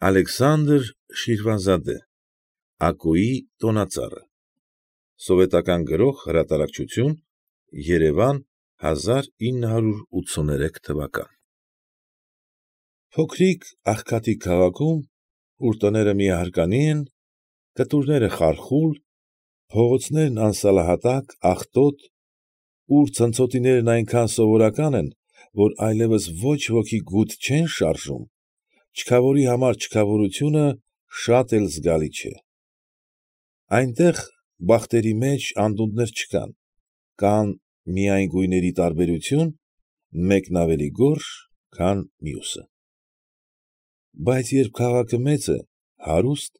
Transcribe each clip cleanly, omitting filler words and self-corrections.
Ալեքսանդր Շիրվանզադե Ակոյի տոնածառը Սովետական Գրող Հրատարակչություն Երևան 1983 թվական Փոքրիկ աղքատիկ քաղաքում, ուր տները միահարկանի են, կտուրները խարխուլ, փողոցներն անսալահատակ, աղտոտ, ուր ցնցոտիներն այնքան սովորական են, որ այլևս ոչ ոքի գութ չեն շարժում, չքավորի համար չքավորությունը շատ էլ զգալի չէ. այնտեղ բախտերի մեջ անդունդներ չկան, կան միայն գույների տարբերություն, մեկն ավելի գորշ, քան մյուսը։ Բայց երբ քաղաքը մեծ է, հարուստ,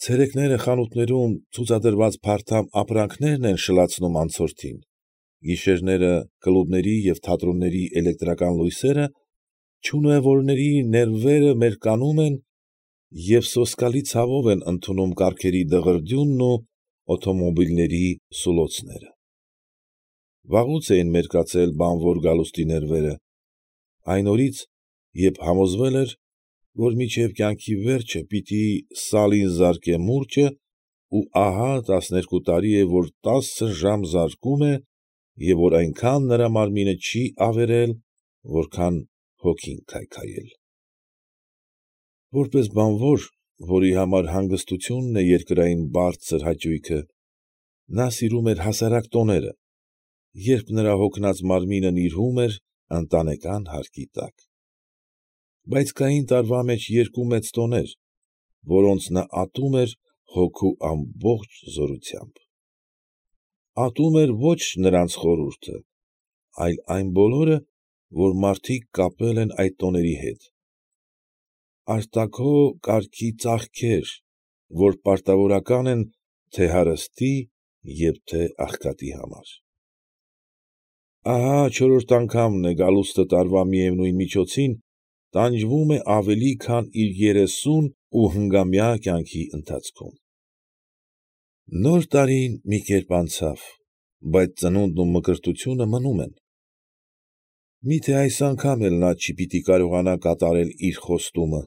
ցերեկները խանութներում ցուցադրված փարթամ ապրանքներն են շլացնում անցորդին, գիշերները կլուբների և թատրոնների էլեկտրական լույսերը չունևորների ներվերը մերկանում են և սոսկալի ցավով են ընդունում կառքերի դղրդյունն ու օտոմոբիլների սուլոցները։ Վաղուց էին մերկացել բանվոր գալուստի ներվերը, այն օրից, երբ համոզվել էր, որ մինչև կյանքի վերջը պիտի սալին զարկե մուրճը ու ահա 12 տարի է, որ 10 ժամ զարկում է և որ այնքան նրա մարմինը չի ավերել, որքան հոգին քայքայել։ Որպես բանվոր, որի համար հանգստությունն է երկրային բարձր հաճույքը, նա սիրում էր հասարակ տոները, երբ նրա հոգնած մարմինը նիրհում էր ընտանեկան հարկի տակ։ Բայց կային տարվա մեջ երկու մեծ տոներ, որոնց նա ատում էր հոգու ամբողջ զորությամբ։ Ատում էր ոչ նրանց խորհուրդը, այլ այն բոլորը, որ մարդիկ կապել են այդ տոների հետ, արտաքո կարգի ծախքեր, որ պարտավորական են թե՛ հարստի և թե՛ աղքատի համար։ Ահա չորրորդ անգամն է գալուստը տարվա միևնույն միջոցին տանջվում է ավելի քան իր 30 ու հնգամյա կյանքի ընթացքում։ Նոր տարին մի կերպ անցավ, բայց ծնունդն ու մկրտությունը մնում են։ Մի՞թե այս անգամ էլ նա չպիտի կարողանա կատարել իր խոստումը,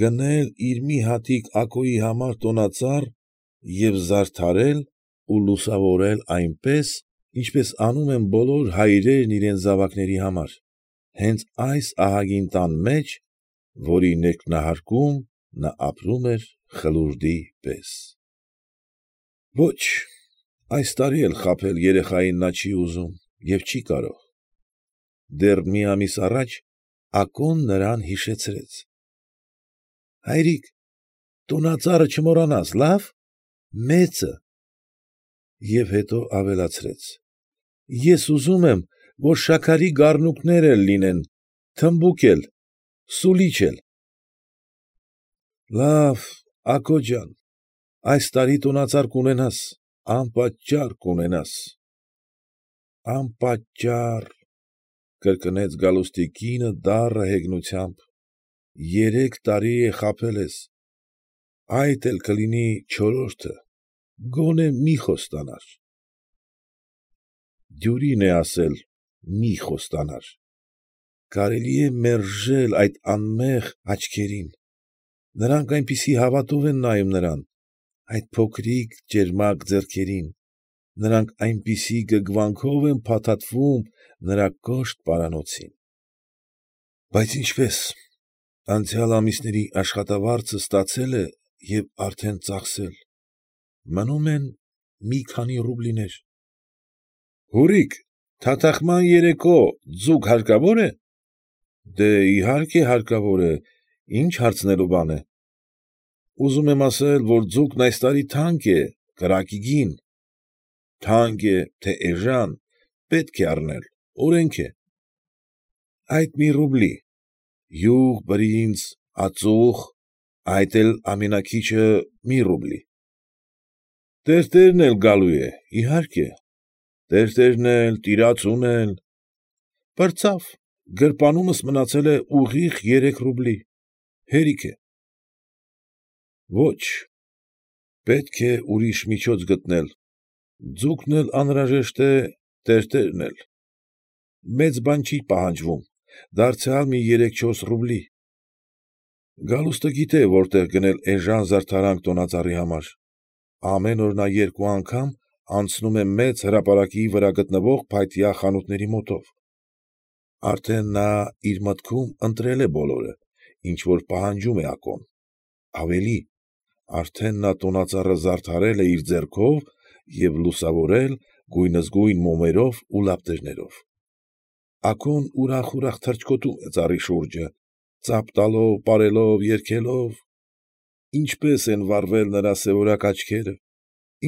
գնել իր մի հատիկ Ակոյի համար տոնածառ և զարդարել ու լուսավորել այնպես, ինչպես անում են բոլոր հայրերն իրենց զավակների համար, հենց այս ահագին տան մեջ, որի ներքնահարկում նա ապրում էր խլուրդի պես։ Ոչ, այս տարի էլ խաբել երեխային նա չի ուզում և չի կարող։ Դեռ մի ամիս առաջ Ակոն նրան հիշեցրեց. ֊ Հայրիկ, տոնածառը չմոռանաս, լա՞վ, մեծը։ Եվ հետո ավելացրեց. ֊ Ես ուզում եմ, որ շաքարի գառնուկներ էլ լինեն, թմբուկ էլ, սուլիչ էլ։ ֊ Լավ, Ակո ջան, այս տարի տոնածառ կունենաս, անպատճառ կունենաս։ ֊ Անպատճառ, ֊ կրկնեց գալուստի կինը դառը հեգնությամբ, ֊ 3 տարի է խաբել ես, այդ էլ կլինի չորրորդը, գոնե մի խոստանար։ Դյուրին է ասել մի խոստանար, կարելի է մերժել այդ անմեղ աչքերին, նրանք այնպես հավատով են նայում նրան, այդ փոքրիկ ճերմակ ձեռքերին, նրանք այնպիսի գգվանքով են փաթաթվում նրա կոշտ պարանոցին։ Բայց ինչպե՞ս, անցյալ ամիսների աշխատավարձը ստացել է և արդեն ծախսել, մնում են մի քանի ռուբլիներ։ ֊ Հուրիկ, թաթախման երեկո ձուկ հարկավո՞ր է։ ֊ Դե, իհարկե, հարկավոր է, ի՞նչ հարցնելու բան է։ ֊ Ուզում եմ ասել, որ ձուկն այս տարի թանկ է, կրակի գին։ ֊ Թանկ է, թե էժան, պետք է առնել, օրենք է։ ֊ Այդ մի ռուբլի, յուղ, բրինձ, ածուխ, այդ էլ ամենաքիչը մի ռուբլի։ ֊ Տերտերն էլ գալու է, իհարկե, տերտերն էլ, տիրացուն էլ։ ֊ Պրծավ, գրպանումս մնացել է ուղիղ 3 ռուբլի, հերիք է։ ֊ Ոչ, պետք է ուրիշ միջոց գտնել, ձուկն էլ անհրաժեշտ է, տերտերն էլ։ Մեծ բան չի պահանջվում, դարձյալ մի 3-4 ռուբլի։ Գալուստը գիտե որտեղ գնել էժան զարդարանք տոնածառի համար. ամեն օր նա երկու անգամ անցնում է մեծ հրապարակի վրա գտնվող փայտյա խանութների մոտով. արդեն նա իր մտքում ընտրել է բոլորը, ինչ որ պահանջում է Ակոն, ավելի, արդեն նա տոնածառը զարդարել է իր ձեռքով և լուսավորել գույնզգույն մոմերով ու լապտերներով։ Ակոն ուրախ թռչկոտում է ծառի շուրջը, ծափ տալով, պարելով, երգելով… Ինչպես են վառվել նրա սևորակ աչքերը,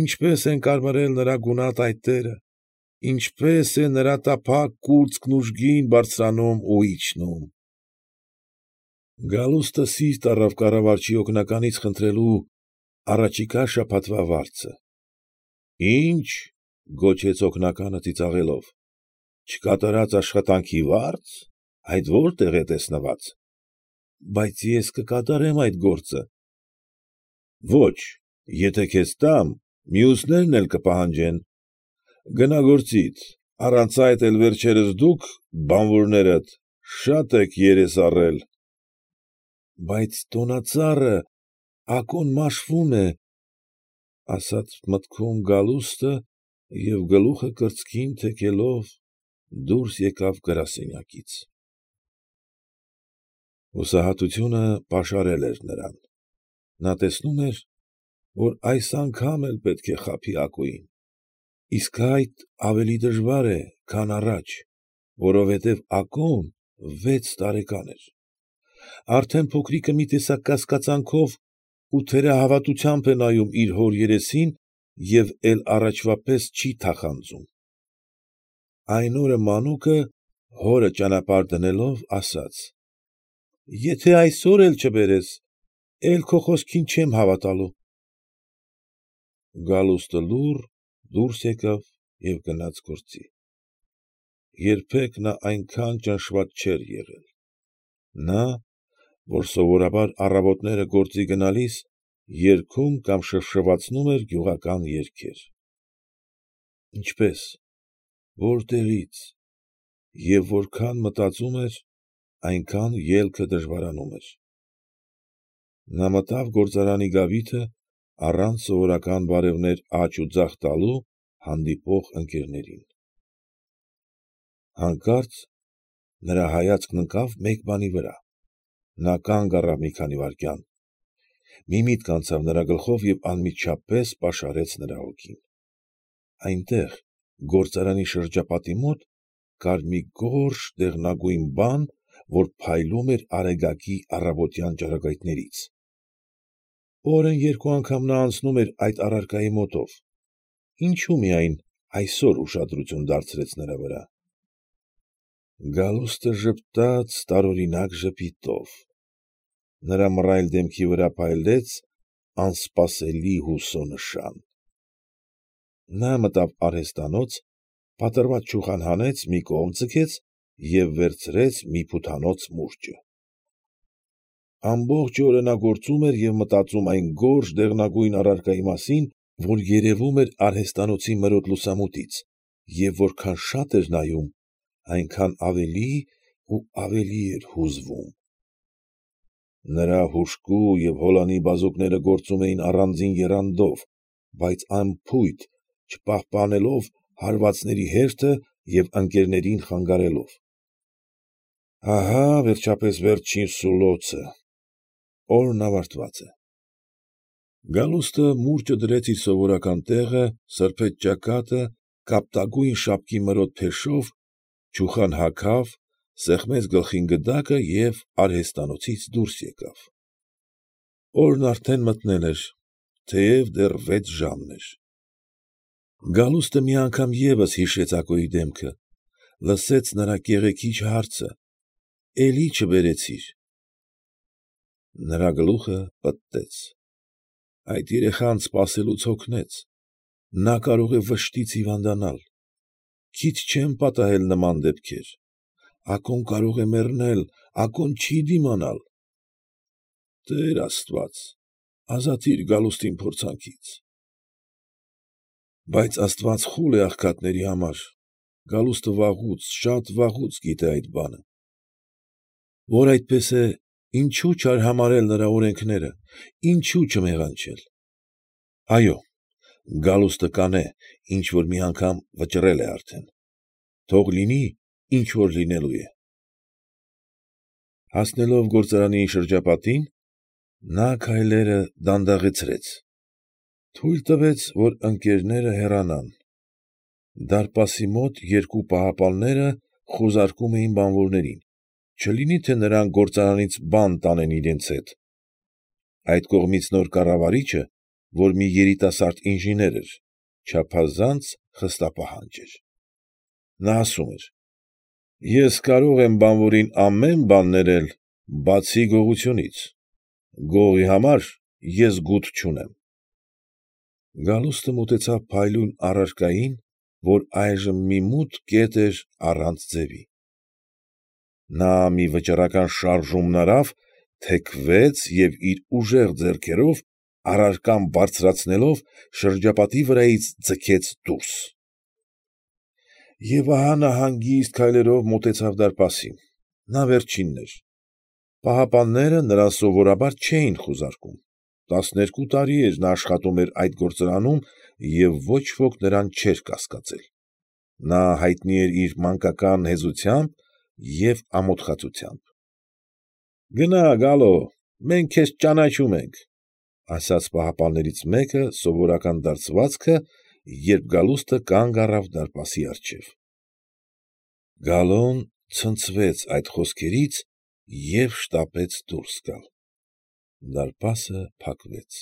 ինչպես են կարմրել նրա գունատ այտերը, ինչպես է նրա տափակ կուրծքն ուժգին բարձրանում ու իջնում… Գալուստը սիրտ առավ կառավարչի օգնականից խնդրելու առաջիկա շաբաթվա վարձը։ ֊ Ի՞նչ, ֊ գոչեց օգնականը ծիծաղելով, ֊ չկատարած աշխատանքի վա՞րծ, այդ ո՞րտեղ է տեսնված։ ֊ Բայց ես կկատարեմ այդ գործը։ ֊ Ո՛չ, եթե քեզ տամ, մյուսներն էլ կպահանջեն։ Գնա գործիդ, առանց այդ էլ վերջերս դուք, բանվորներդ, շատ եք երես առել։ ֊ Բայց տոնածառը… Ակոն մաշվում է, ֊ ասաց մտքում Գալուստը և գլուխը կրծքին թեքելով դուրս եկավ գրասենյակից… Հուսահատությունը պաշարել էր նրան. նա տեսնում էր, որ այս անգամ էլ պետք է խաբի Ակոյին, իսկ այդ ավելի դժվար է, քան առաջ, որովհետև Ակոն 6 տարեկան էր, արդեն փոքրիկը մի տեսակ կասկածանքով ու թերահավատությամբ է նայում իր հոր երեսին և էլ առաջվա պես չի թախանձում… Այն օրը մանուկը, հորը ճանապարհ դնելով, ասաց. «Եթե այսօր էլ չբերես, էլ քո խոսքին չեմ հավատալու»… Գալուստը լուռ դուրս եկավ և գնաց գործի… Երբեք նա այնքան ճնշված չէր եղել… Նա, որ սովորաբար առավոտները գործի գնալիս երգում կամ շվշվացնում էր գյուղական երգեր… Ինչպե՞ս, որտեղի՞ց և որքան մտածում էր, այնքան ելքը դժվարանում էր… Նա մտավ գործարանի գավիթը առանց սովորական բարևներ աջ ու ձախ տալու հանդիպող ընկերներին… Հանկարծ նրա հայացքն ընկավ մեկ բանի վրա… Նա կանգ առավ մի քանի վայրկյան… Մի միտք անցավ նրա գլխով և անմիջապես պաշարեց նրա հոգին… Այնտեղ, գործարանի շրջապատի մոտ, կար մի գորշ դեղնագույն բան, որ փայլում էր արեգակի առավոտյան ճառագայթներից… Օրն երկու անգամ նա անցնում էր այդ առարկայի մոտով… Ինչո՞ւ միայն այսօր ուշադրություն դարձրեց նրա վրա… Գալուստը ժպտաց տարօրինակ ժպիտով… Նրա մռայլ դեմքի վրա փայլեց անսպասելի հուսո նշան… Նա մտավ արհեստանոց, փաթրված չուխան հանեց, մի կողմ ձգեց և վերցրեց մի փութանոց մուրճը… Ամբողջ օրը նա գործում էր և մտածում այն գորշ դեղնագույն առարկայի մասին, որ երևում էր արհեստանոցի մրոտ լուսամուտից, և որքան շատ էր նայում, այնքան ավելի ու ավելի էր հուզվում… Նրա հուժկու և հոլանի բազուկները գործում էին առանձին եռանդով, բայց անփույթ, չպահպանելով հարվածների հերթը և ընկերներին խանգարելով… Ահա, վերջապես, վերջին սուլոցը… Օրն ավարտված է… Գալուստը մուրճը դրեց իր սովորական տեղը, սրբեց ճակատը, կապտագույն շապկի մրոտ փեշով, չուխան հագավ, սեղմեց գլխին գդակը և արհեստանոցից դուրս եկավ… Օրն արդեն մթնել էր, թեև դեռ 6 ժամն էր… Գալուստը մի անգամ ևս հիշեց Ակոյի դեմքը, լսեց նրա կեղեքիչ հարցը. «Էլի չբերեցի՞ր»… Նրա գլուխը պտտեց… Այդ երեխան սպասելուց հոգնեց… նա կարող է վշտից հիվանդանալ… Քիչ չեն պատահել նման դեպքեր… Ակոն կարող է մեռնել… Ակոն չի դիմանալ… Տեր աստված, ազատի՛ր Գալուստին փորձանքից… Բայց աստված խուլ է աղքատների համար… Գալուստը վաղուց, շատ վաղուց գիտե այդ բանը… Որ այդպես է, Ինչո՞ւ չարհամարհել նրա օրենքները, ինչո՞ւ չմեղանչել։ Այո, գալուստը կանե, ինչ որ մի անգամ վճռել է արդեն, թող լինի, ինչ որ լինելու է։ Հասնելով գործարանի շրջապատին, նա քայլերը դանդաղեցրեց, թույլ տվեց, որ ընկերները հեռանան։ Դարպասի մոտ երկու պահապանները խուզարկում էին բանվորներին, չլինի թե նրանք գործարանից բան տանեն իրենց հետ։ Այդ կողմից նոր կառավարիչը, որ մի երիտասարդ ինժեներ էր, չափազանց խստապահանջ էր։ Նա ասում էր. «Ես կարող եմ բանվորին ամեն բան ներել, բացի գողությունից, գողի համար ես գութ չունեմ»։ Գալուստը մոտեցավ փայլուն առարկային, որ այժմ մի մութ կետ էր առանց ձևի։ Նա մի վճռական շարժումն արավ, թեքվեց և իր ուժեղ ձեռքերով, առարկան բարձրացնելով, շրջապատի վրայից ձգեց դուրս։ Եվ ահա նա հանգիստ քայլերով մոտեցավ դարպասին։ Նա վերջինն էր։ Պահապանները նրան սովորաբար չէին խուզարկում։ 12 տարի էր նա աշխատում այդ գործարանում և ոչ ոք նրան չէր կասկածել։ Նա հայտնի էր իր մանկական հեզությամբ և ամոթխածությամբ։ ֊ Գնա, Գալո, մենք քեզ ճանաչում ենք, ֊ ասաց պահապաններից մեկը սովորական դարձվածքը, երբ գալուստը կանգ առավ դարպասի առջև։ Գալոն ցնցվեց այդ խոսքերից և շտապեց դուրս գալ։ Դարպասը փակվեց։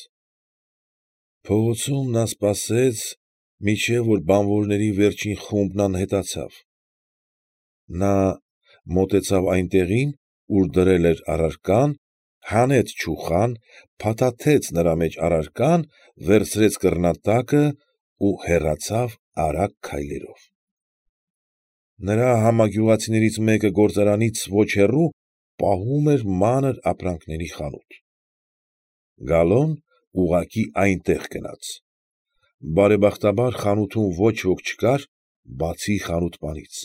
Փողոցում նա սպասեց, մինչև որ բանվորների վերջին խումբն անհետացավ։ Նա մոտեցավ այնտեղին, ուր դրել էր առարկան, հանեց չուխան, փաթաթեց նրա մեջ առարկան, վերցրեց կռնատակը ու հեռացավ արագ քայլերով։ Նրա համագյուղացիներից մեկը գործարանից ոչ հեռու պահում էր մանր ապրանքների խանութ։ Գալոն ուղղակի այնտեղ գնաց։ Բարեբախտաբար խանութում ոչ ոք չկար, բացի խանութպանից։